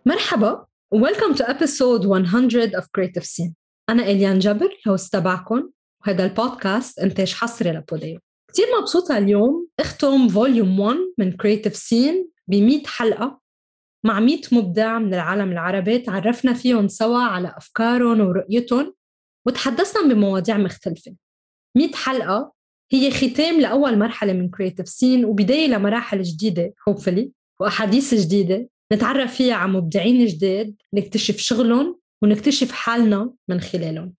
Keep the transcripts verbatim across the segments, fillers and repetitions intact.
مرحبا و welcome to episode one hundred of Creative Scene. أنا إليان جبر هوست تبعكم، وهذا البودكاست إنتاج حصري لبوديو. كتير مبسوطة اليوم اختم فوليوم واحد من Creative Scene بمئة حلقة مع مئة مبدع من العالم العربي تعرفنا فيهم سوا على أفكارهم ورؤيتهم وتحدثنا بمواضيع مختلفة. مئة حلقة هي ختام لأول مرحلة من Creative Scene وبداية لمراحل جديدة hopefully وأحاديث جديدة نتعرف فيها على مبدعين جداد، نكتشف شغلهم ونكتشف حالنا من خلالهم.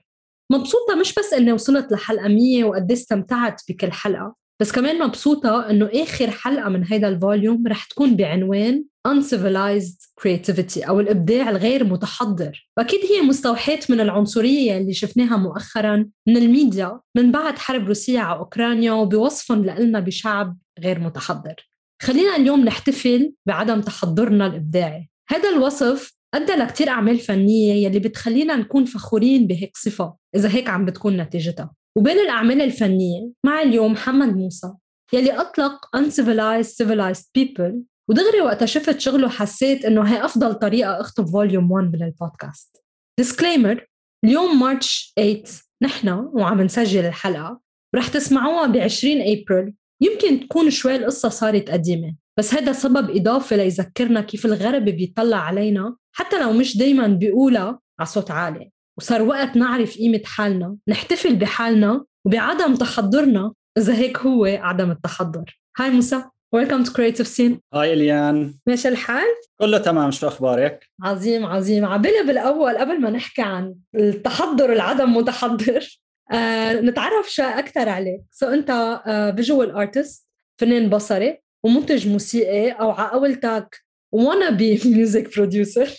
مبسوطة مش بس إني وصلت لحلقة مية وقد استمتعت بكل حلقة، بس كمان مبسوطة إنه آخر حلقة من هيدا الفوليوم رح تكون بعنوان Uncivilized Creativity أو الإبداع الغير متحضر. وأكيد هي مستوحاة من العنصرية اللي شفناها مؤخراً من الميديا من بعد حرب روسيا على أوكرانيا وبوصفهم لنا بشعب غير متحضر. خلينا اليوم نحتفل بعدم تحضرنا الإبداعي. هذا الوصف أدى لكتير أعمال فنية يلي بتخلينا نكون فخورين بهيك صفة إذا هيك عم بتكون نتيجتها. وبين الأعمال الفنية مع اليوم محمد موسى يلي أطلق Uncivilized Civilized People، ودغري وقتا شفت شغله حسيت إنه هي أفضل طريقة أخطب فوليوم واحد من البودكاست. Disclaimer: اليوم مارش ثمانية نحن وعم نسجل الحلقة ورح تسمعوها بعشرين أبريل. يمكن تكون شوي القصة صارت قديمة، بس هذا سبب إضافة ليذكرنا كيف الغرب بيطلع علينا حتى لو مش دايماً بيقولها على صوت عالي. وصار وقت نعرف قيمة حالنا، نحتفل بحالنا وبعدم تحضرنا إذا هيك هو عدم التحضر. هاي موسى، Welcome to Creative Scene. هاي إليان، ماشي الحال؟ كله تمام، شو أخبارك؟ عظيم عظيم. عبالي بالأول قبل ما نحكي عن التحضر العدم متحضر آه، نتعرف شوي أكتر عليك. سو أنت آه، visual artist، فنان بصري ومنتج موسيقي، أو عقولتك wannabe music producer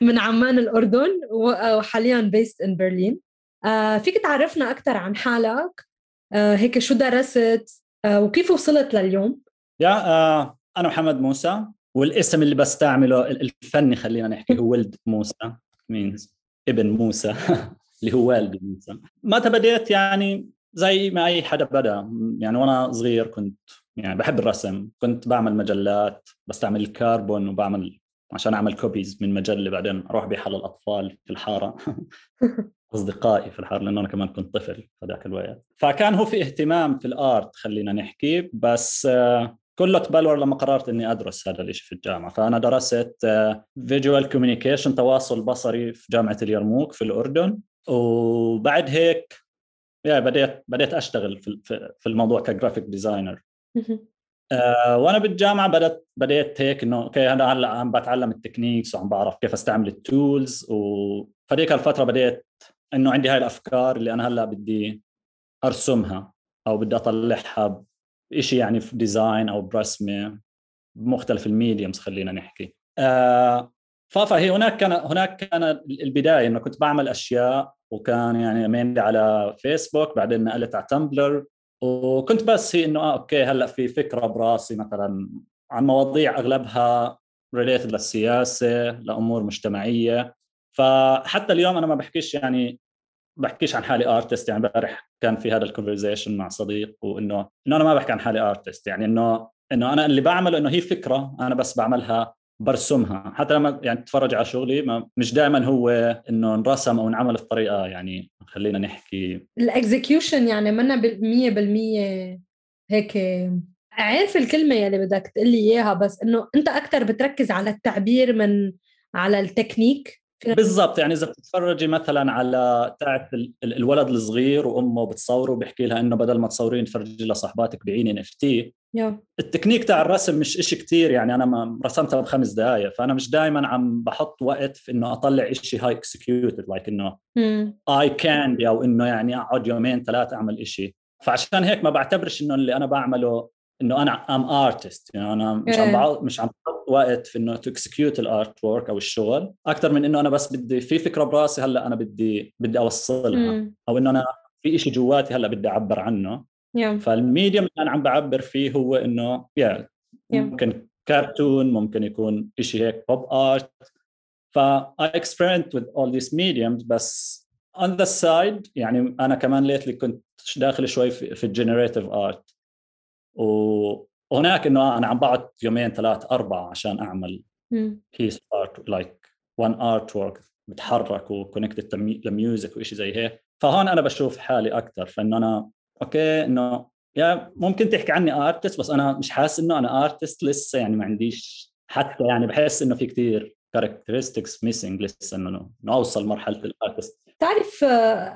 من عمان الأردن وحالياً based in Berlin. آه، فيك تعرفنا أكتر عن حالك؟ آه، هيك شو درست آه، وكيف وصلت لليوم؟ يا آه، أنا محمد موسى، والاسم اللي بستعمله الفني خلينا نحكي هو ولد موسى means ابن موسى اللي هو والد موسى. ما تبديت يعني زي ما أي حدا بدأ، يعني وأنا صغير كنت يعني بحب الرسم، كنت بعمل مجلات، بستعمل الكربون وبعمل عشان أعمل كوبيز من مجلة، بعدين أروح بيها للأطفال في الحارة أصدقائي في الحارة، لأنه أنا كمان كنت طفل في ذاك الوقت. فكان هو في اهتمام في الآرت خلينا نحكي، بس كله تبلور لما قررت أني أدرس هذا الشيء في الجامعة. فأنا درست فيجوال كوميونيكيشن، تواصل بصري، في جامعة اليرموك في الأردن. وبعد هيك يعني بديت بديت أشتغل في في الموضوع كجرافيك ديزاينر. أه وأنا بالجامعة بدأت بديت هيك إنه أوكي أنا هلا عم بتعلم التكنيكس وعم بعرف كيف أستعمل التولز. وفديك الفترة بديت إنه عندي هاي الأفكار اللي أنا هلا بدي أرسمها أو بدي أطلعها بإشي يعني في ديزاين أو برسمة بمختلف الميديمز خلينا نحكي. أه فهي هناك كان هناك كان البداية إنه كنت بعمل أشياء، وكان يعني مينلي على فيسبوك، بعدين نقلت على تمبلر، وكنت بس هي إنه آه أوكي هلأ في فكرة براسي مثلا عن مواضيع أغلبها ريليتد للسياسة، لأمور مجتمعية. فحتى اليوم أنا ما بحكيش يعني بحكيش عن حالي ارتست. يعني امبارح كان في هذا الكونفرزيشن مع صديق، وانه انه انا ما بحكي عن حالي ارتست، يعني انه انه انا اللي بعمله انه هي فكره انا بس بعملها برسمها. حتى لما يعني تتفرج على شغلي ما مش دائما هو انه انرسم او انعمل بطريقه يعني خلينا نحكي الاكزيكيوشن، يعني منا بالمية بالمية هيك عارف الكلمه يلي بدك تقلي اياها، بس انه انت اكتر بتركز على التعبير من على التكنيك. بالضبط. يعني إذا بتتفرجي مثلا على تاعت الولد الصغير وأمه بتصوره وبيحكي لها إنه بدل ما تصورين تفرجي لصاحباتك بعين إن إف تي. التكنيك تاع الرسم مش إشي كتير، يعني أنا ما رسمتها بخمس دقايق، فأنا مش دائما عم بحط وقت في إنه أطلع إشي هاي executed like إنه I can أو إنه يعني أقعد يومين ثلاثة أعمل إشي. فعشان هيك ما بعتبرش إنه اللي أنا بعمله إنه أنا I'm artist، يعني أنا مش عم بعض مش عم بحط وقت في إنه to execute الارت وورك أو الشغل، أكتر من إنه أنا بس بدي في فكرة براسي هلا أنا بدي بدي أوصلها، مم. أو إنه أنا في إشي جواتي هلا بدي أعبر عنه. yeah. فالميديم اللي أنا عم بعبر فيه هو إنه yeah, yeah. ممكن كارتون، ممكن يكون إشي هيك pop art. ف I experiment with all these mediums. بس on the side يعني أنا كمان lately كنت داخل شوي في, في الجنريتيف art، وهناك إنه أنا عم بقعد يومين ثلاث أربعة عشان أعمل piece art like one artwork بتحرك وكونكتد لميوزك وإشي زي هيك. فهون أنا بشوف حالي أكتر فإنه أنا أوكي إنه يا ممكن تحكي عني ارتست بس انا مش حاسس انه انا ارتست لسه يعني ما عنديش حتى يعني بحس انه في كتير كاركترستكس ميسنج لسه انه اوصل مرحله الارتست. تعرف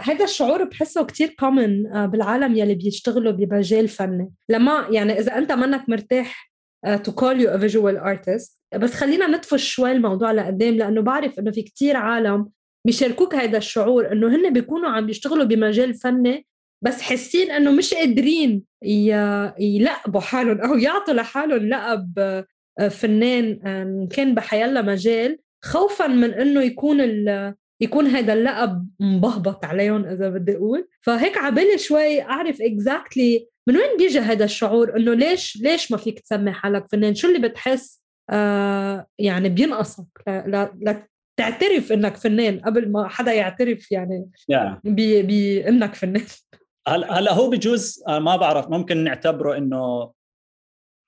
هذا الشعور بحسه كتير كومن بالعالم يلي بيشتغلوا بمجال فني. لما يعني اذا انت منك مرتاح to call you a visual artist بس خلينا نطفش شوي الموضوع لقدام لانه بعرف انه في كتير عالم بيشاركوك هذا الشعور انه هن بيكونوا عم بيشتغلوا بمجال فني بس حاسين انه مش قادرين يلقبوا حالهم او يعطوا لحالهم لقب فنان كان بحيالله مجال خوفا من انه يكون يكون هذا اللقب مبهبط عليهم اذا بدي اقول. فهيك عبالي شوي اعرف exactly من وين بيجي هذا الشعور انه ليش ليش ما فيك تسمي حالك فنان؟ شو اللي بتحس آه يعني بينقصك لا لا تعترف انك فنان قبل ما حدا يعترف يعني yeah. بانك فنان؟ هلا هلا هو بجوز ما بعرف ممكن نعتبره انه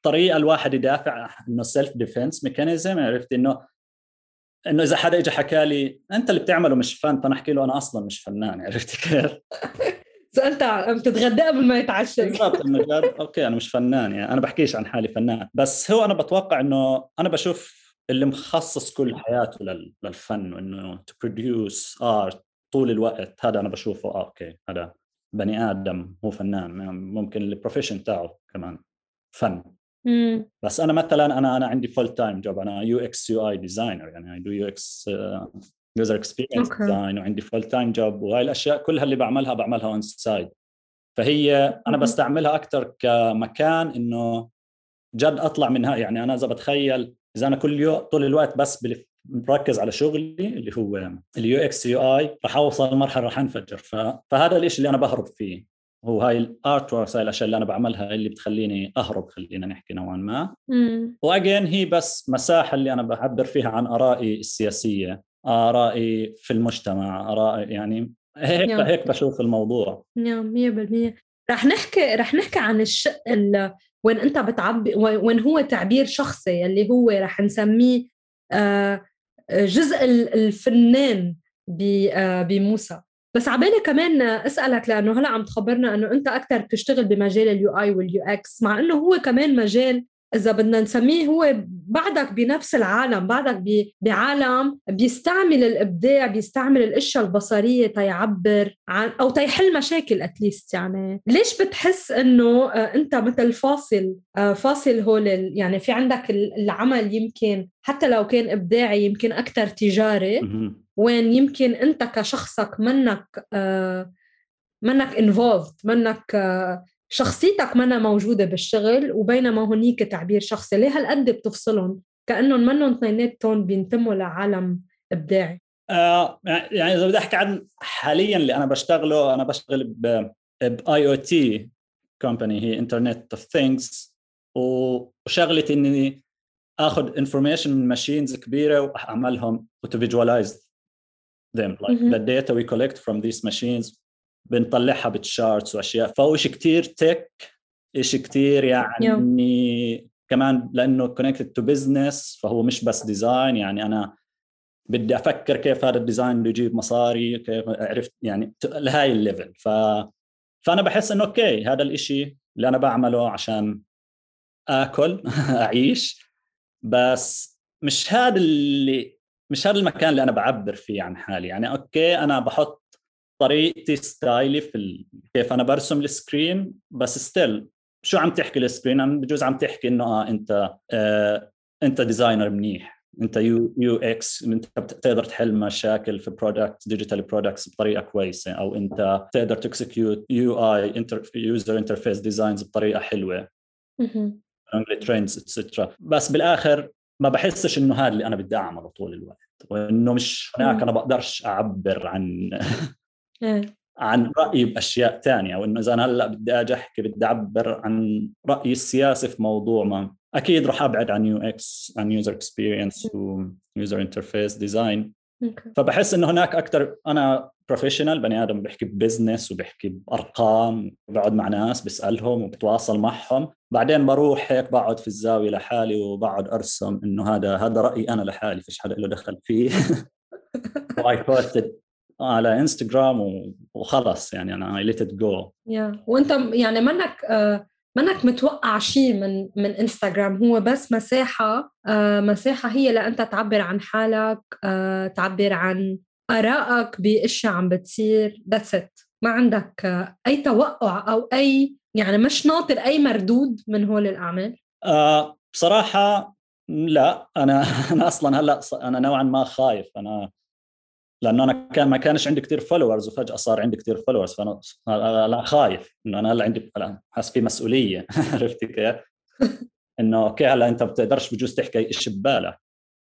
طريقه الواحد يدافع انه سيلف ديفنس ميكانيزم. عرفت انه انه اذا حدا اجى حكى لي انت اللي بتعمله مش فن فنحكي له انا اصلا مش فنان. عرفت كيف؟ انت عم تتغدى قبل ما يتعشى. بالضبط انه جد اوكي انا مش فنان يعني انا بحكيش عن حالي فنان بس هو انا بتوقع انه انا بشوف اللي مخصص كل حياته للفن وانه to produce art طول الوقت هذا انا بشوفه آه اوكي هذا بني آدم هو فنان. ممكن البروفيشن تاعه كمان فن. مم. بس أنا مثلا أنا أنا عندي فول تايم جوب أنا يو إكس يو آي ديزاينر يعني I do يو إكس user experience okay. design وعندي فول تايم جوب وهاي الأشياء كلها اللي بعملها بعملها on side. فهي أنا بستعملها أكتر كمكان إنه جد أطلع منها. يعني أنا إذا بتخيل إذا أنا كل يوم طول الوقت بس بلف مركز على شغلي اللي هو اليو اكس يو اي راح اوصل مرحله راح انفجر. فهذا الشيء اللي انا بهرب فيه هو هاي الارت وورك هاي الاشياء اللي انا بعملها اللي بتخليني اهرب خلينا نحكي نوعا ما. واجين هي بس مساحه اللي انا بعبر فيها عن ارائي السياسيه ارائي في المجتمع ارائي يعني هيك نعم. هيك بشوف الموضوع. نعم مية بالمية. رح نحكي رح نحكي عن الشق وين انت بتعبي وين هو تعبير شخصي اللي هو رح نسميه آه جزء الفنان بموسى. بس عبالي كمان أسألك لأنه هلأ عم تخبرنا أنه أنت أكتر بتشتغل بمجال اليو آي واليو إكس مع أنه هو كمان مجال إذا بدنا نسميه هو بعدك بنفس العالم بعدك بعالم بيستعمل الإبداع بيستعمل الأشياء البصرية تيعبر عن أو تيحل مشاكل أتليست. يعني ليش بتحس أنه أنت مثل فاصل فاصل هول يعني في عندك العمل يمكن حتى لو كان إبداعي يمكن أكتر تجاري وين يمكن أنت كشخصك منك آه منك involved منك آه شخصيتك منها موجودة بالشغل وبينما هنيك تعبير شخصي. ليه هالقد بتفصلهم كأنهم منهم اثنيناتهم بينتموا لعالم إبداعي؟ آه يعني إذا بدي أحكي عن حاليا اللي أنا بشتغله أنا بشتغل ب آي أو تي company هي Internet of Things وشغلتي إني أخذ information من machines كبيرة وأعملهم to visualize them like mm-hmm. the data we collect from these machines بنطلعها بالشارتس وأشياء. فهو إشي كتير تك إشي كتير يعني yeah. كمان لأنه connected to business فهو مش بس ديزاين. يعني أنا بدي أفكر كيف هذا الديزاين بيجيب مصاري كيف عرفت يعني لهاي الليفل. ف... فأنا بحس إنه أوكي هذا الإشي اللي أنا بعمله عشان آكل أعيش بس مش هذا اللي مش هذا المكان اللي أنا بعبر فيه عن حالي. يعني أوكي أنا بحط طريقتي ستايلي في ال... كيف أنا برسم السكرين بس ستيل شو عم تحكي السكرين أنا بجوز عم تحكي إنه آه أنت آه أنت ديزاينر منيح أنت يو يو إكس أنت بتقدر تحل مشاكل في برودكت ديجيتال برودكتس بطريقة كويسة أو أنت تقدر تكسكيوت يو آي انتر يوزر انترفيس ديزاينز بطريقة حلوة English trends إتسترا. بس بالآخر ما بحسش إنه هذا اللي أنا بدي أعمله طول الوقت وإنه مش هناك أنا بقدرش أعبر عن عن رأيي بأشياء تانية. وإنه إذا أنا هلأ بدي أجي أحكي بدي أعبر عن رأيي السياسي في موضوع ما أكيد رح أبعد عن يو إكس عن user experience و user interface design. فبحس إنه هناك أكتر أنا بروفيشنال، بني ادم بيحكي ببزنس وبيحكي بارقام، بقعد مع ناس بسالهم وبتواصل معهم، بعدين بروح هيك بقعد في الزاويه لحالي وبقعد ارسم انه هذا هذا رايي انا لحالي، فيش حدا له دخل فيه. واي بوستد على انستغرام وخلص، يعني انا اي ليت ات جو. يا وانت يعني منك آه منك متوقع شيء من من انستغرام، هو بس مساحه آه مساحه هي لانت تعبر عن حالك، آه تعبر عن ارائك باشياء عم بتصير، ذاتس ات. ما عندك آه اي توقع او اي يعني مش ناطر اي مردود من هول الاعمال؟ آه بصراحه لا، انا انا اصلا هلا انا نوعا ما خايف، انا لانه انا كان ما كانش عندي كتير فولورز وفجاه صار عندي كتير فولورز، فانا لا خايف انه انا هلا عندي حاسس في مسؤوليه. عرفتي كيف؟ انه اوكي هلا انت بتقدرش بجوز تحكي ايش ببالك،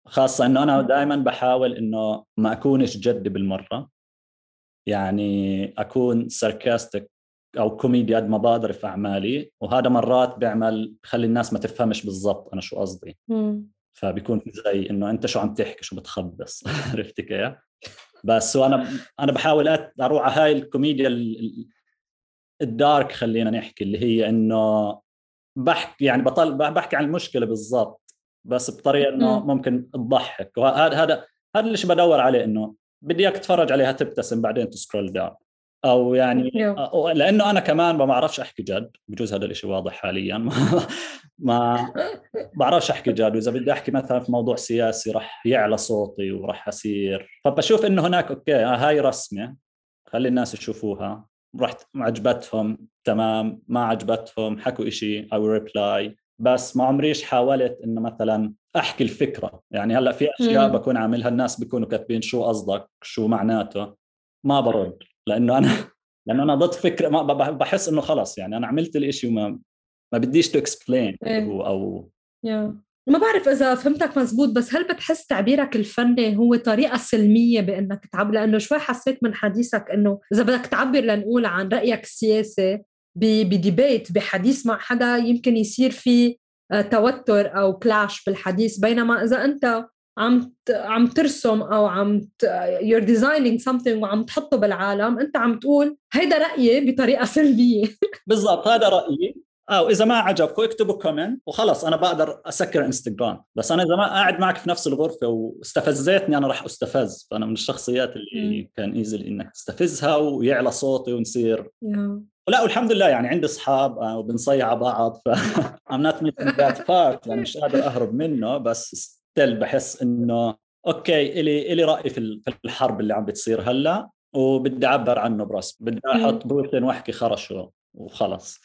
خاصه انه انا دائما بحاول انه ما اكونش جدي بالمره، يعني اكون ساركاستيك او كوميدي قد ما بقدر في اعمالي، وهذا مرات بيعمل بخلي الناس ما تفهمش بالضبط انا شو قصدي، فبيكون في زي انه انت شو عم تحكي، شو بتخبص. عرفتي كيف؟ بس وانا انا بحاول اروح على هاي الكوميديا الدارك، خلينا نحكي، اللي هي انه بحكي يعني بطل بحكي عن المشكله بالضبط، بس بطريقه انه ممكن تضحك، وهذا هذا هذا اللي بدور عليه، انه بدي اياك تتفرج عليها تبتسم بعدين تسكرول داون، او يعني أو لانه انا كمان ما بعرفش احكي جد، بجوز هذا الاشي واضح حاليا. ما بعرفش احكي جد، واذا بدي احكي مثلا في موضوع سياسي رح يعلى صوتي ورح اصير، فبشوف انه هناك اوكي هاي رسمه، خلي الناس يشوفوها، رحت عجبتهم تمام، ما عجبتهم حكوا إشي أو ريبلاي، بس ما عمريش حاولت إنه مثلا أحكي الفكرة، يعني هلأ في أشياء مم. بكون عاملها الناس بيكونوا كاتبين شو قصدك شو معناته، ما برد لأنه أنا لأنه أنا ضد فكرة، ما بحس إنه خلص يعني أنا عملت الإشي وما ما بديش تو إكسبلين هو أو yeah. ما بعرف إذا فهمتك مزبوط، بس هل بتحس تعبيرك الفني هو طريقة سلمية بأنك تعبر؟ لأنه شوي حسيت من حديثك أنه إذا بدك تعبر لنقول عن رأيك السياسي بديبيت بحديث مع حدا يمكن يصير في توتر أو كلاش بالحديث، بينما إذا أنت عم عم ترسم أو عم you're designing something وعم تحطه بالعالم، أنت عم تقول هيدا رأيي بطريقة سلبية. بالضبط هذا رأيي، أو إذا ما عجبكم اكتبوا كومنت وخلص أنا بقدر أسكر إنستغرام، بس أنا إذا ما قاعد معك في نفس الغرفة واستفزتني أنا رح أستفز، فأنا من الشخصيات اللي م. كان إيزي إنك تستفزها ويعلى صوتي ونصير yeah. ولا والحمد لله يعني عندي أصحاب وبنصيع بعض، ف I'm not missing that part، يعني مش قادر أهرب منه، بس ستيل بحس إنه أوكي إلي إلي رأي في الحرب اللي عم بتصير هلا، وبدي أعبر عنه برسم، بدي أحط بروتين وأحكي خرشه وخلص.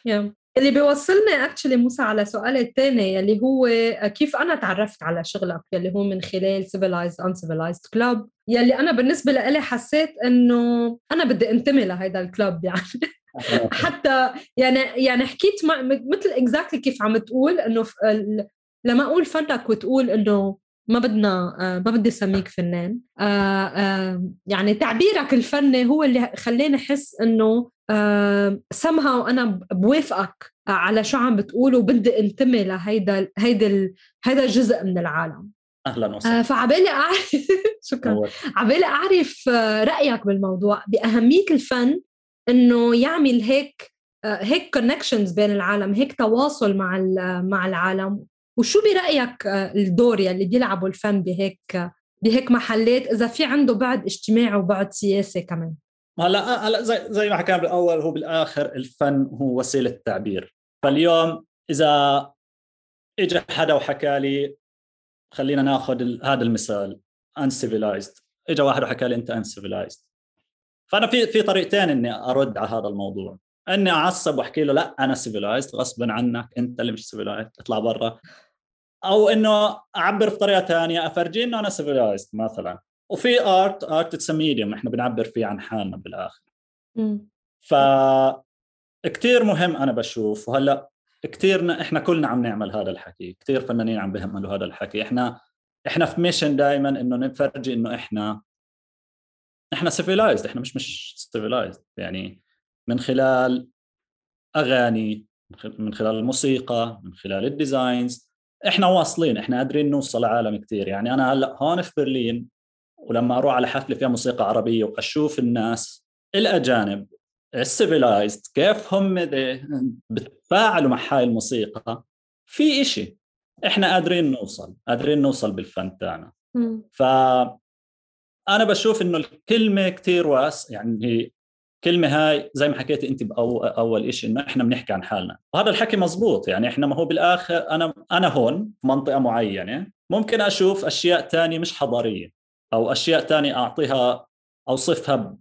yeah. اللي بيوصلني اكشلي موسى على سؤال الثاني اللي هو كيف انا تعرفت على شغلك، يلي هو من خلال Civilized Uncivilized Club، يلي انا بالنسبه لي حسيت انه انا بدي انتمي لهيدا الكلوب، يعني حتى يعني يعني حكيت مثل اكزاكتلي كيف عم تقول انه لما اقول فنك وتقول انه ما بدنا آه ما بدي اسميك فنان، آه آه يعني تعبيرك الفني هو اللي خلاني احس انه آه somehow انا بوافقك على شو عم بتقول وبدي انتمي لهيدا هيدا هيدا الجزء من العالم. اهلا وسهلا. آه فعبالي اعرف شكرا، عبالي اعرف رايك بالموضوع باهميه الفن، انه يعمل هيك آه هيك كونكشنز بين العالم، هيك تواصل مع مع العالم، وشو برأيك الدور يلي بيلعبه الفن بهيك بهيك محلات إذا في عنده بعد اجتماعي وبعد سياسي كمان؟ هلا هلا زي زي ما حكينا بالأول، هو بالآخر الفن هو وسيلة تعبير. فاليوم إذا إجا حدا وحكى لي، خلينا ناخذ هذا المثال uncivilized، إجا واحد وحكى لي أنت uncivilized، فأنا في في طريقتين إني أرد على هذا الموضوع، إني أعصب وأحكي له لا أنا civilized غصبا عنك، أنت اللي مش civilized اطلع برا، أو إنه أعبر بطريقة ثانية أفرجي إنه أنا civilized مثلا. وفي art art it's a medium، إحنا بنعبر فيه عن حالنا بالآخر. فكتير مهم أنا بشوف، وهلأ كتير إحنا كلنا عم نعمل هذا الحكي، كتير فنانين عم بيعملوا هذا الحكي، إحنا إحنا في ميشن دائما إنه نفرجي إنه إحنا إحنا civilized، إحنا مش مش civilized، يعني من خلال أغاني، من خلال الموسيقى، من خلال الديزاينز، احنا واصلين، احنا قادرين نوصل لعالم كتير. يعني انا هلا هون في برلين ولما أروح على حفلة فيها موسيقى عربية وأشوف الناس الأجانب السيفيلايزد كيف هم بتفاعلوا مع هاي الموسيقى، في إشي إحنا قادرين نوصل قادرين نوصل بالفن تاعنا. فأنا بشوف إنه الكلمة كتير واس، يعني هي كلمة هاي زي ما حكيتي أنت بأول إشي إنه إحنا بنحكي عن حالنا، وهذا الحكي مزبوط. يعني إحنا ما هو بالآخر أنا أنا هون في منطقة معينة ممكن أشوف أشياء تانية مش حضارية، أو أشياء تانية أعطيها أوصفها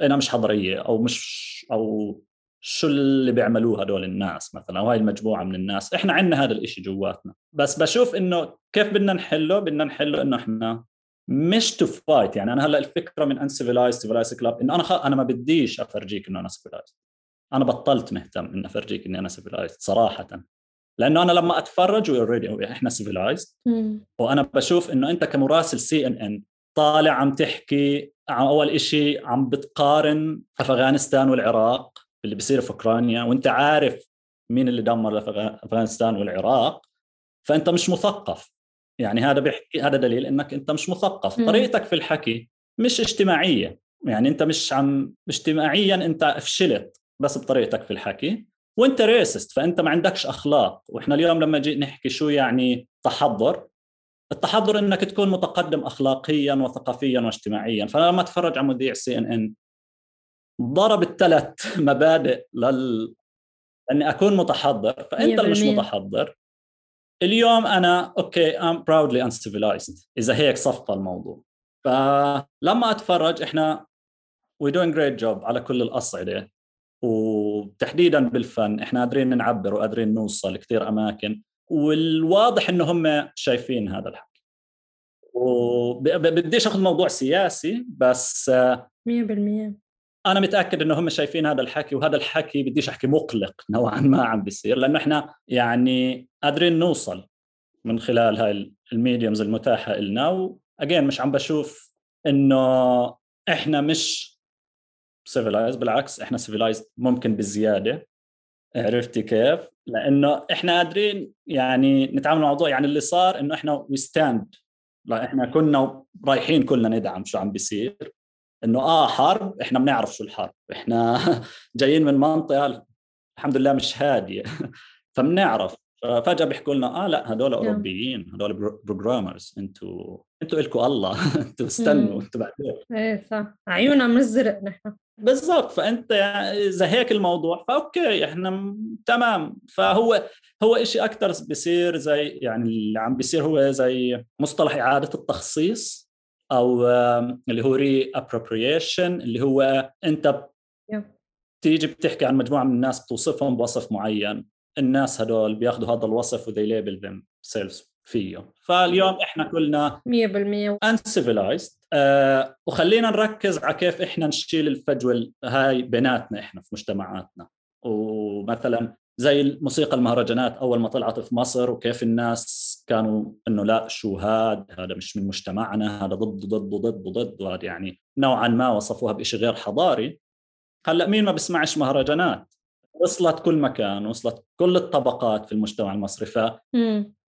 أنا مش حضارية، أو مش أو شو اللي بيعملوه هدول الناس مثلا، وهي المجموعة من الناس. إحنا عندنا هذا الإشي جواتنا، بس بشوف إنه كيف بدنا نحله بدنا نحله إنه إحنا مش تو فايت. يعني أنا هلا الفكرة من Uncivilized Civilized Club إنه أنا خ... أنا ما بديش أفرجيك إنه أنا civilized. أنا بطلت مهتم إن أفرجيك إني أنا civilized صراحة، لأنه أنا لما أتفرج already إحنا civilized. وأنا بشوف إنه أنت كمراسل سي إن إن طالع عم تحكي عن أول إشي عم بتقارن أفغانستان والعراق اللي بيصير في أوكرانيا، وأنت عارف مين اللي دمر أفغانستان والعراق، فأنت مش مثقف. يعني هذا بيحكي هذا دليل إنك أنت مش مثقف. م. طريقتك في الحكي مش اجتماعية، يعني أنت مش عم اجتماعيا أنت فشلت بس بطريقتك في الحكي، وأنت ريسست، فأنت ما عندكش أخلاق. وإحنا اليوم لما جي نحكي شو يعني تحضر، التحضر إنك تكون متقدم أخلاقيا وثقافيا واجتماعيا. فأنا لما أتفرج على مذيع سي إن إن ضرب الثلاث مبادئ لل أني أكون متحضر، فأنت اللي مش متحضر. اليوم أنا أوكي I'm proudly uncivilized إذا هيك صفى الموضوع. فلما أتفرج إحنا we doing great job على كل الأصعدة، وتحديدا بالفن إحنا قادرين نعبر وقادرين نوصل كتير أماكن، والواضح إنه هم شايفين هذا الحكي. وبديش أخذ موضوع سياسي، بس مية بالمية أنا متأكد إنه هم شايفين هذا الحكي، وهذا الحكي بديش أحكي مقلق نوعا ما عم بيصير، لأنه إحنا يعني قادرين نوصل من خلال هاي الميديومز المتاحة لنا. وأجين مش عم بشوف إنه إحنا مش civilized، بالعكس إحنا civilized ممكن بالزيادة. عرفتي كيف؟ لأنه إحنا قادرين يعني نتعامل مع الموضوع. يعني اللي صار إنه إحنا we stand، لا إحنا كنا رايحين كلنا ندعم شو عم بيصير، إنه آه حرب، إحنا بنعرف شو الحرب، إحنا جايين من منطقة الحمد لله مش هادية فبنعرف. فجأة بيحكوا لنا آه لا هدول أوروبيين، هدول بروجرامرز، أنتوا أنتوا إلكوا الله أنتوا استنوا أنتوا بعدين. إيه صح، عيوننا مزرق نحن بالضبط. فأنت يعني إذا هيك الموضوع فأوكي إحنا م... تمام. فهو هو إشي أكتر بيصير زي يعني اللي عم بيصير هو زي مصطلح إعادة التخصيص، أو اللي هو re-appropriation، اللي هو أنت تيجي بتحكي عن مجموعة من الناس بتوصفهم بوصف معين، الناس هدول بياخدوا هذا الوصف و they label themselves فيه. فاليوم إحنا كلنا مية بالمية uncivilized. أه وخلينا نركز على كيف إحنا نشيل الفجوة هاي بيناتنا إحنا في مجتمعاتنا. ومثلا زي الموسيقى المهرجانات أول ما طلعت في مصر، وكيف الناس كانوا إنه لا شو هاد هذا مش من مجتمعنا، هذا ضد ضد ضد ضد، وهذا يعني نوعا ما وصفوها بإشي غير حضاري. هلأ مين ما بسمعش مهرجانات؟ وصلت كل مكان، وصلت كل الطبقات في المجتمع المصري. ف...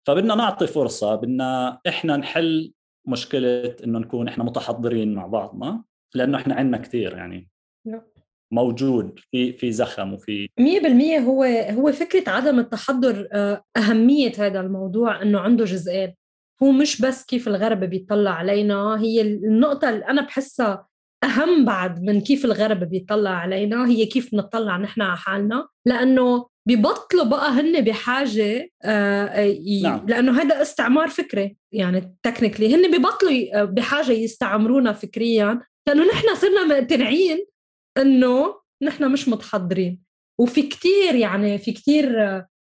فبدنا نعطي فرصة، بدنا إحنا نحل مشكلة إنه نكون إحنا متحضرين مع بعضنا، لأنه إحنا عندنا كتير يعني موجود في في زخم وفي مية بالمية. هو هو فكرة عدم التحضر. أهمية هذا الموضوع إنه عنده جزئين، هو مش بس كيف الغرب بيطلع علينا. هي النقطة اللي أنا بحسها أهم بعد من كيف الغرب بيطلع علينا، هي كيف نطلع نحن على حالنا، لأنه بيبطلوا بقى هن بحاجة آه ي... نعم. لأنه هذا استعمار فكري، يعني تكنيكلي هن بيبطلوا بحاجة يستعمرونا فكريا، لأنه نحن صرنا مقتنعين إنه نحن مش متحضرين. وفي كتير يعني في كتير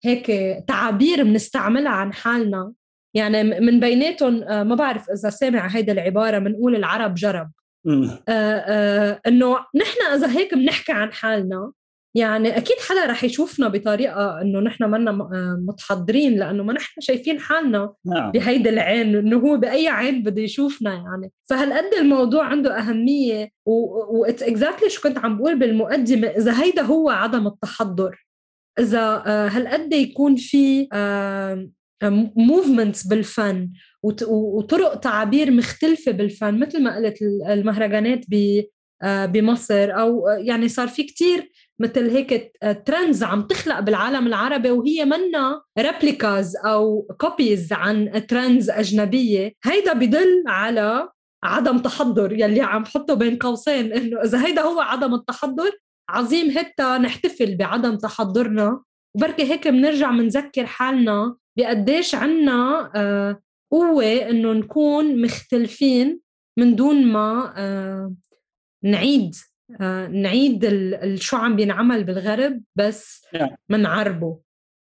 هيك تعابير بنستعملها عن حالنا، يعني من بيناتهم ما بعرف إذا سامع هيدا العبارة، منقول العرب جرب. آه آه إنه نحن إذا هيك بنحكي عن حالنا، يعني أكيد حدا رح يشوفنا بطريقة إنه نحن منا متحضرين، لأنه ما نحن شايفين حالنا نعم. بهيدا العين، إنه هو بأي عين بده يشوفنا يعني. فهالقد الموضوع عنده أهمية. وإتس إكزاكتلي شو كنت عم بقول بالمقدمة، إذا هيدا هو عدم التحضر، إذا آه هالقد يكون في آه موفمنتس بالفن وطرق تعابير مختلفة بالفن، مثل ما قلت المهرجانات بمصر، أو يعني صار في كتير مثل هيك ترندز عم تخلق بالعالم العربي، وهي منا ريبليكاز أو كوبيز عن ترندز أجنبية. هيدا بدل على عدم تحضر يلي عم حطه بين قوسين، إنه إذا هيدا هو عدم التحضر عظيم هتا نحتفل بعدم تحضرنا، وبركي هيك بنرجع منذكر حالنا بقديش عنا آه قوة إنه نكون مختلفين من دون ما آه نعيد آه نعيد شو عم بينعمل بالغرب، بس منعربه.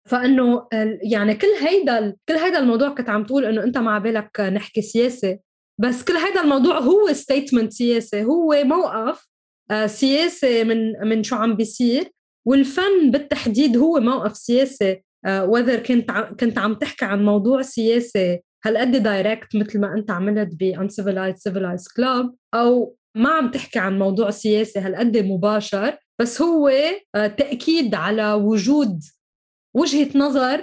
فإنه يعني كل هيدا كل هيدا الموضوع كنت عم تقول إنه أنت مع بالك نحكي سياسة، بس كل هيدا الموضوع هو ستيتمنت سياسي، هو موقف آه سياسي من من شو عم بيصير، والفن بالتحديد هو موقف سياسي. آه وذر كنت كنت عم تحكي عن موضوع سياسي هالقد دايركت مثل ما أنت عملت ب Uncivilized Civilized Club، أو ما عم تحكي عن موضوع سياسي هالقد مباشر، بس هو آه تأكيد على وجود وجهة نظر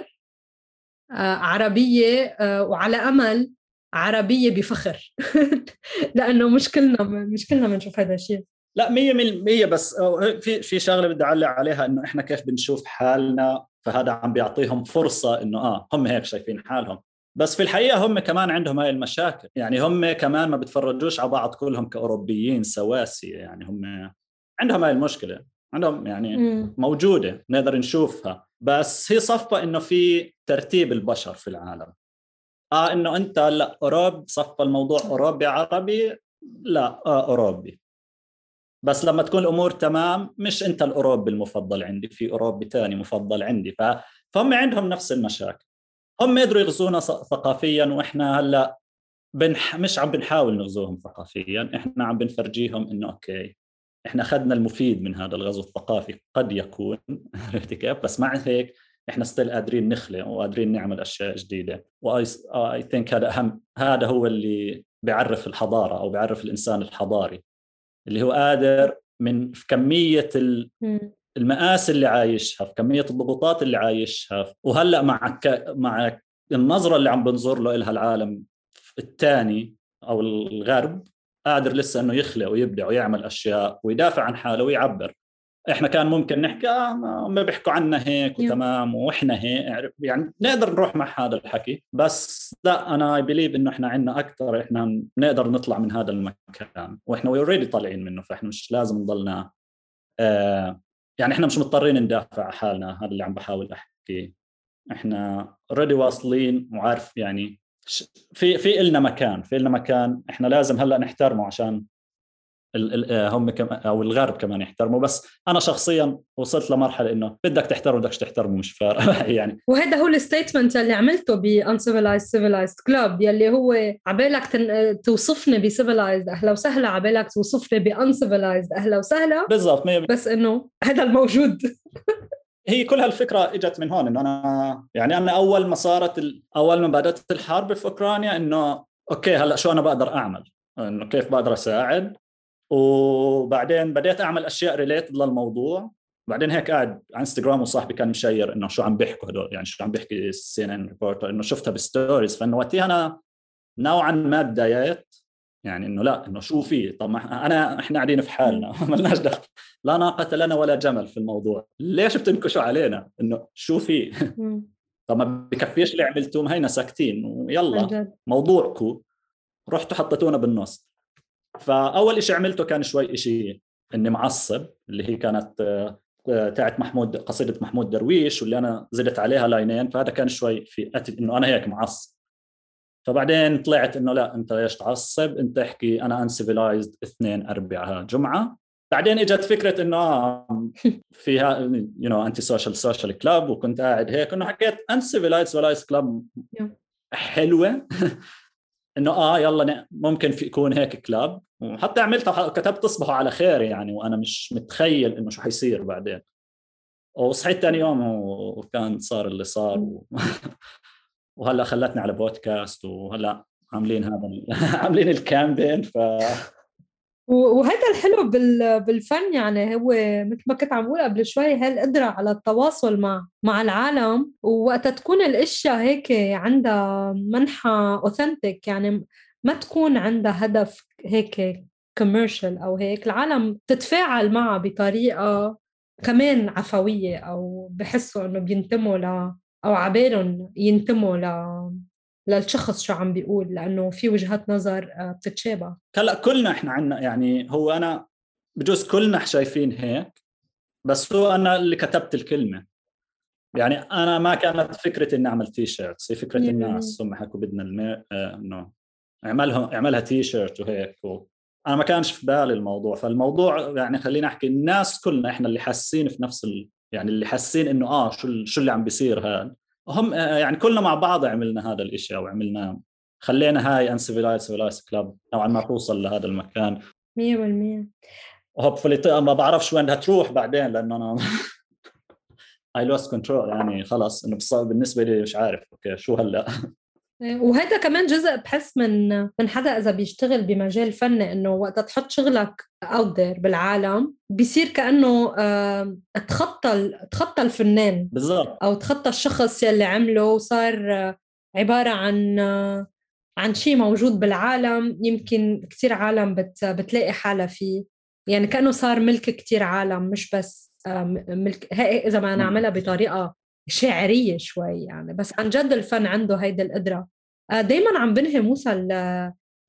آه عربية آه وعلى أمل عربية بفخر لأنه مش كلنا مش كلنا بنشوف هذا الشيء. لا مية بالمية، بس في في شغلة بدي أعلق عليها، إنه إحنا كيف بنشوف حالنا، فهذا عم بيعطيهم فرصة إنه آه هم هيك شايفين حالهم، بس في الحقيقة هم كمان عندهم هاي المشاكل. يعني هم كمان ما بتفرجوش على بعض كلهم كأوروبيين سواسية، يعني هم عندهم هاي المشكلة، عندهم يعني م. موجودة نقدر نشوفها، بس هي صفة إنه في ترتيب البشر في العالم. آه إنه أنت لا أوروب صفة الموضوع أوروبي عربي، لا آه أوروبي، بس لما تكون الأمور تمام مش أنت الأوروبي المفضل عندي، في أوروبي تاني مفضل عندي. فهم عندهم نفس المشاكل، هم يقدروا يغزونا ثقافيا، وإحنا هلأ بنح... مش عم بنحاول نغزوهم ثقافيا، إحنا عم بنفرجيهم إنه أوكي إحنا أخذنا المفيد من هذا الغزو الثقافي قد يكون بس مع هيك إحنا ستيل قادرين نخلق وقادرين نعمل أشياء جديدة. وآي I think هذا أهم، هذا هو اللي بيعرف الحضارة أو بيعرف الإنسان الحضاري، اللي هو قادر من في كمية المآسي اللي عايشها، في كمية الضغوطات اللي عايشها، وهلأ مع ك... مع النظرة اللي عم بنظر له إلها العالم الثاني أو الغرب، قادر لسه إنه يخلق ويبدع ويعمل أشياء ويدافع عن حاله ويعبر. إحنا كان ممكن نحكي آه ما بيحكوا عنا هيك وتمام وإحنا هيك، يعني نقدر نروح مع هذا الحكي، بس لا أنا بليف إنه إحنا عنا أكتر، إحنا نقدر نطلع من هذا المكان، وإحنا ويوريدي طالعين منه، فإحنا مش لازم نضلنا آه يعني إحنا مش مضطرين ندافع عن حالنا. هذا اللي عم بحاول أحكي، إحنا already واصلين وعارف يعني في في إلنا مكان في إلنا مكان إحنا لازم هلأ نحترمه عشان هم كمان او الغرب كمان يحترموا. بس انا شخصيا وصلت لمرحله انه بدك تحترم بدكش تحترمه مش فارق يعني. وهذا هو الستيتمنت اللي عملته ب Uncivilized Civilized Club، يلي هو عبالك تن... توصفني ب Civilized اهلا وسهلا، عبالك توصفني ب Uncivilized اهلا وسهلا بالضبط، بس انه هذا الموجود. هي كل هالفكره اجت من هون، انه انا يعني انا اول ما صارت ال... اول ما بدات الحرب في اوكرانيا، انه اوكي هلا شو انا بقدر اعمل، انه كيف بقدر اساعد، وبعدين بديت اعمل اشياء ريليتد للموضوع. بعدين هيك قاعد على انستغرام وصاحبي كان مشير انه شو عم بيحكوا هدول، يعني شو عم بيحكي السي ان ان ريبورتر، انه شفتها بالستوريز، فانه وقتها انا نوعا ما تضايقت، يعني انه لا انه شو في، طب ما انا احنا قاعدين في حالنا ما لناش دخل، لا ناقه لنا ولا جمل في الموضوع، ليش بتنكشوا علينا انه شو في طب ما بكفيش اللي عملتوه، هينا ساكتين ويلا موضوعكم، رحتوا حطيتونا بالنص. فأول إشي عملته كان شوي إشي إني معصب، اللي هي كانت تاعت محمود، قصيدة محمود درويش، واللي أنا زدت عليها لاينين، فهذا كان شوي في أتي إنه أنا هيك معصب. فبعدين طلعت إنه لا أنت ليش تعصب، أنت احكي أنا uncivilized اثنين أربعة جمعة. بعدين إجت فكرة إنه فيها you know anti social social club، وكنت قاعد هيك إنه حكيت uncivilized civilized club حلوة انه اه يلا ممكن في يكون هيك كلاب، وحتى عملتها كتبت تصبحوا على خير يعني، وانا مش متخيل انه شو حيصير بعدين. وصحيت ثاني يوم وكان صار اللي صار و... وهلا خلتني على بودكاست، وهلا عاملين هذا ال... عاملين الكامبين. ف وهذا الحلو بالفن، يعني هو مثل ما كنت عم بقول قبل شوي، هالقدرة على التواصل مع مع العالم، ووقتها تكون الاشياء هيك عندها منحى اوثنتيك، يعني ما تكون عندها هدف هيك كوميرشال او هيك، العالم تتفاعل معها بطريقة كمان عفوية، او بحسوا انه بينتموا ل او عبالهم ينتموا ل للشخص شو عم بيقول، لأنه في وجهات نظر بتتشابه. هلا كلنا احنا عنا، يعني هو انا بجوز كلنا شايفين هيك، بس هو انا اللي كتبت الكلمه. يعني انا ما كانت فكرتي اني اعمل تي شيرتس، هي فكره الناس هم حكوا بدنا المي... آه انه اعملها اعملها تي شيرت وهيك و... انا ما كانش في بالي الموضوع. فالموضوع يعني خلينا احكي الناس كلنا احنا اللي حاسين في نفس ال... يعني اللي حاسين انه اه شو ال... شو اللي عم بيصير هذا. هم آه يعني كلنا مع بعض عملنا هذا الاشي، او عملنا خلينا هاي انسيفيلايز سيفيلايز كلاب نوعا ما توصل لهذا المكان مية بالمية. وهوبفلي. ما بعرفش وين بدها تروح بعدين، لانه انا I lost control، يعني خلص انه بالنسبه لي مش عارف اوكي شو هلا. وهذا كمان جزء بحس من من حدا اذا بيشتغل بمجال فني، انه وقت تحط شغلك اوت ذير بالعالم بيصير كانه تخطى تخطى الفنان بالضبط، او تخطى الشخص يلي عمله، وصار عباره عن عن شيء موجود بالعالم، يمكن كتير عالم بت بتلاقي حالها فيه، يعني كانه صار ملك كتير عالم، مش بس ملك هي اذا ما نعملها بطريقه شاعرية شوي يعني. بس عن جد الفن عنده هيدا القدرة. دايما عم بنهي موسى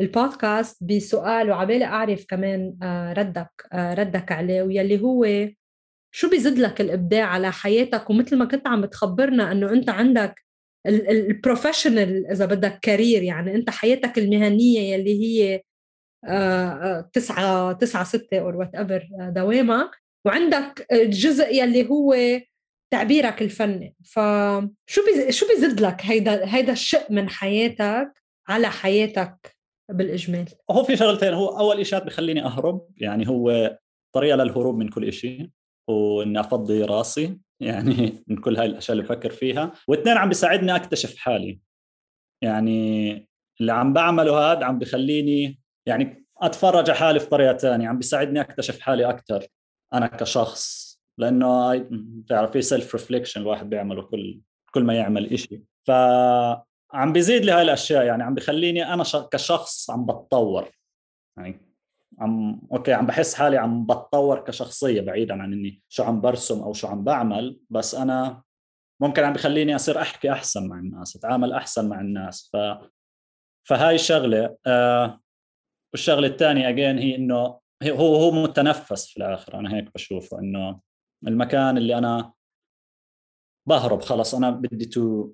البودكاست بسؤال، وعبالي أعرف كمان ردك ردك عليه، ويلي هو شو بيزيد لك الإبداع على حياتك؟ ومثل ما كنت عم تخبرنا أنه أنت عندك البروفيشنال إذا بدك كارير، يعني أنت حياتك المهنية يلي هي تسعة تسعة ستة أو وات ايفر دوامك، وعندك الجزء يلي هو تعبيرك الفني. فشو بي شو بيزيد لك هيدا هيدا الشق من حياتك على حياتك بالإجمال؟ هو في شغلتين. هو اول إشي بخليني اهرب، يعني هو طريقه للهروب من كل إشي، واني افضي راسي يعني من كل هاي الاشياء اللي بفكر فيها. واثنين عم بيساعدني اكتشف حالي، يعني اللي عم بعمله هذا عم بخليني يعني اتفرج على حالي في طريقه ثانيه، عم بيساعدني اكتشف حالي اكثر انا كشخص، لانه بتعرف في سيلف ريفليكشن الواحد بيعمله كل كل ما يعمل إشي. فعم بيزيد لي هاي الاشياء، يعني عم بخليني انا كشخص عم بتطور، يعني عم اوكي عم بحس حالي عم بتطور كشخصيه، بعيدا عن اني شو عم برسم او شو عم بعمل، بس انا ممكن عم بخليني اصير احكي احسن مع الناس، اتعامل احسن مع الناس. ف فهاي الشغله. آه والشغله الثانيه اجين هي انه هو هو متنفس في الاخر، انا هيك بشوفه، انه المكان اللي انا بهرب خلص، انا بدي تو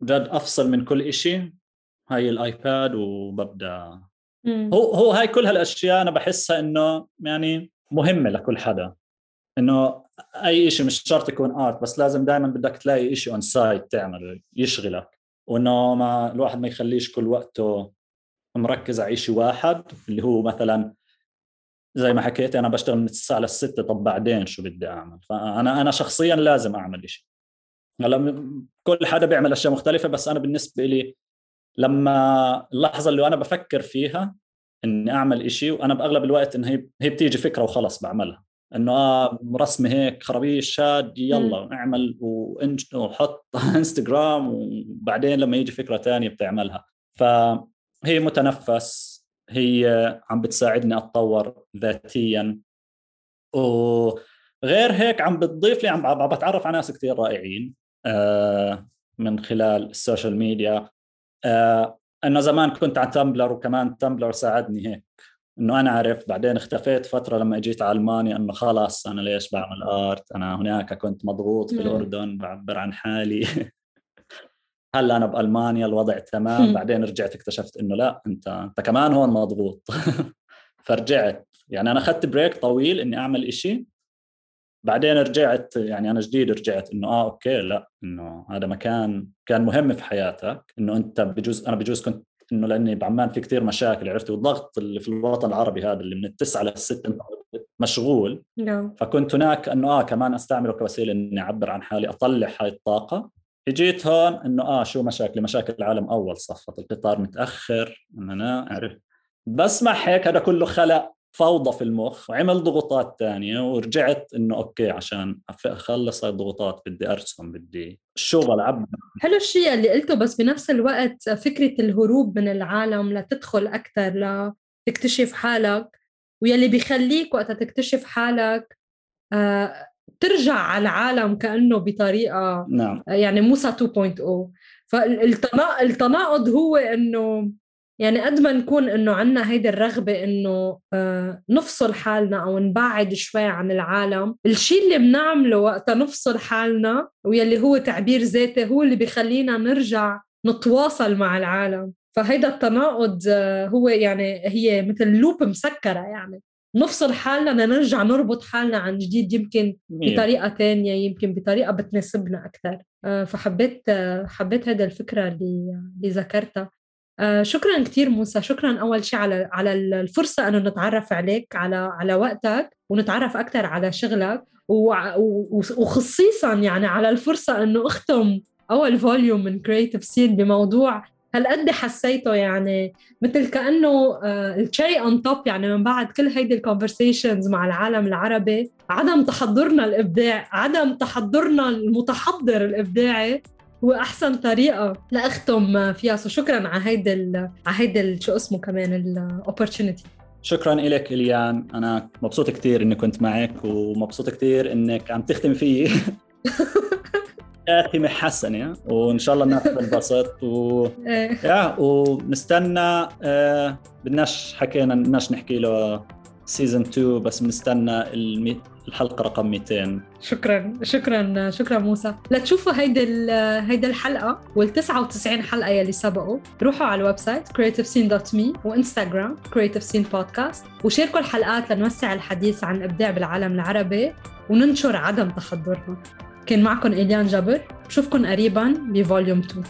جد افصل من كل إشي، هاي الايباد وببدا. مم. هو هو هاي كل هالاشياء انا بحسها انه يعني مهمه لكل حدا، انه اي شيء مش شرط يكون ارت، بس لازم دائما بدك تلاقي شيء اون سايد تعمله يشغلك، وانه ما الواحد ما يخليش كل وقته مركز على شيء واحد، اللي هو مثلا زي ما حكيت انا بشتغل من التسعة للستة، طب بعدين شو بدي اعمل؟ فانا انا شخصيا لازم اعمل شيء. هلا كل حدا بيعمل اشياء مختلفه، بس انا بالنسبه لي لما اللحظه اللي انا بفكر فيها اني اعمل إشي، وانا باغلب الوقت ان هي هي بتيجي فكره وخلص بعملها، انه اه رسمه هيك خرابيش شاد يلا اعمل وانج وحط انستغرام، وبعدين لما يجي فكره تانية بتعملها. فهي متنفس، هي عم بتساعدني اتطور ذاتيا، وغير هيك عم بتضيف لي، عم بتعرف على ناس كثير رائعين آه من خلال السوشيال ميديا. آه انه زمان كنت على تمبلر، وكمان تمبلر ساعدني هيك، انه انا عرفت بعدين اختفيت فتره لما اجيت على المانيا، انه خلاص انا ليش بعمل ارت، انا هناك كنت مضغوط في الاردن بعبر عن حالي هلا انا بالمانيا الوضع تمام. بعدين رجعت اكتشفت انه لا، انت انت كمان هون مضغوط فرجعت، يعني انا اخذت بريك طويل اني اعمل إشي، بعدين رجعت، يعني انا جديد رجعت انه اه اوكي لا، انه هذا مكان كان مهم في حياتك، انه انت بجوز انا بجوز كنت انه لاني بعمان في كتير مشاكل عرفتي، والضغط اللي في الوطن العربي هذا اللي من التسعة للستة مشغول. نعم. فكنت هناك انه اه كمان استعمله كوسيله اني اعبر عن حالي، اطلع هاي الطاقه. اجيت هون انه اه شو مشاكل مشاكل العالم اول صفت القطار متاخر، انه انا عرفت. بس مع هيك هذا كله خلق فوضى في المخ وعمل ضغوطات تانية، ورجعت إنه أوكي عشان أخلص هاي الضغوطات بدي أرسم، بدي الشغل عبد. حلو الشيء اللي قلته، بس بنفس الوقت فكرة الهروب من العالم لتدخل أكتر لتكتشف حالك، ويلي بيخليك وقت تكتشف حالك آه ترجع على العالم كأنه بطريقة نعم. يعني موسى تو بوينت أو. فالتناقض هو إنه يعني قد ما نكون إنه عنا هيدا الرغبة إنه آه نفصل حالنا أو نبعد شوي عن العالم، الشيء اللي بنعمله وقت نفصل حالنا ويلي هو تعبير ذاتي هو اللي بيخلينا نرجع نتواصل مع العالم. فهيدا التناقض آه هو يعني هي مثل لوب مسكرة، يعني نفصل حالنا نرجع نربط حالنا عن جديد، يمكن بطريقة تانية، يمكن بطريقة بتناسبنا أكثر. آه فحبيت آه حبيت هذا الفكرة اللي اللي ذكرتها. آه شكرا كتير موسى، شكرا أول شيء على على الفرصة أنه نتعرف عليك، على على وقتك، ونتعرف أكثر على شغلك، وخصيصا يعني على الفرصة أنه أختم أول فوليوم من كرياتيف سين بموضوع هالقد حسيته يعني مثل كأنه الشيء on top، يعني من بعد كل هيدي الكونفرسيشنز مع العالم العربي، عدم تحضرنا الإبداع، عدم تحضرنا المتحضر الإبداعي هو أحسن طريقة لأختم فيها. سو شكراً على هيدا على هيدا شو اسمه كمان الopportunity. شكراً إليك إليان، أنا مبسوط كتير إني كنت معك، ومبسوط كتير إنك عم تختم فيي آخي محسنة، وإن شاء الله الناس تنبسط و... يا ونستنى آه بدناش حكينا بدناش نحكي له سيزن اثنين، بس بنستنى المي... الحلقة رقم مئتين. شكرا شكرا شكرا موسى. لتشوفوا هيدا هيدا الحلقة والتسعة وتسعين حلقة يلي سبقوا، روحوا على الويب سايت creative scene dot me وإنستغرام creative scene podcast، وشاركوا الحلقات لنوسع الحديث عن الإبداع بالعالم العربي وننشر عدم تحضرنا. كان معكم إليان جبر، بشوفكن قريبا بفوليوم اثنين.